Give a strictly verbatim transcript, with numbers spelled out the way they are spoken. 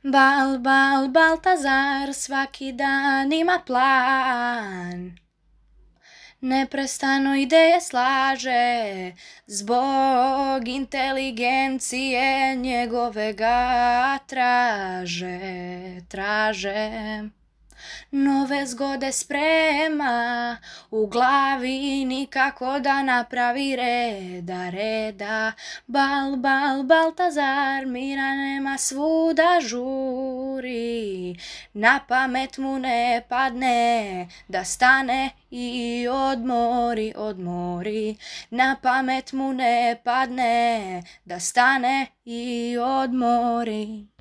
Bal, bal, Baltazar svaki dan ima plan. Neprestano ideje slaže, zbog inteligencije njegove ga traže, traže. Nove zgode sprema, u glavi nikako da napravi reda, reda. Bal, bal, Baltazar, mira nema, svuda žuri. Na pamet mu ne padne da stane i odmori, odmori. Na pamet mu ne padne da stane i odmori.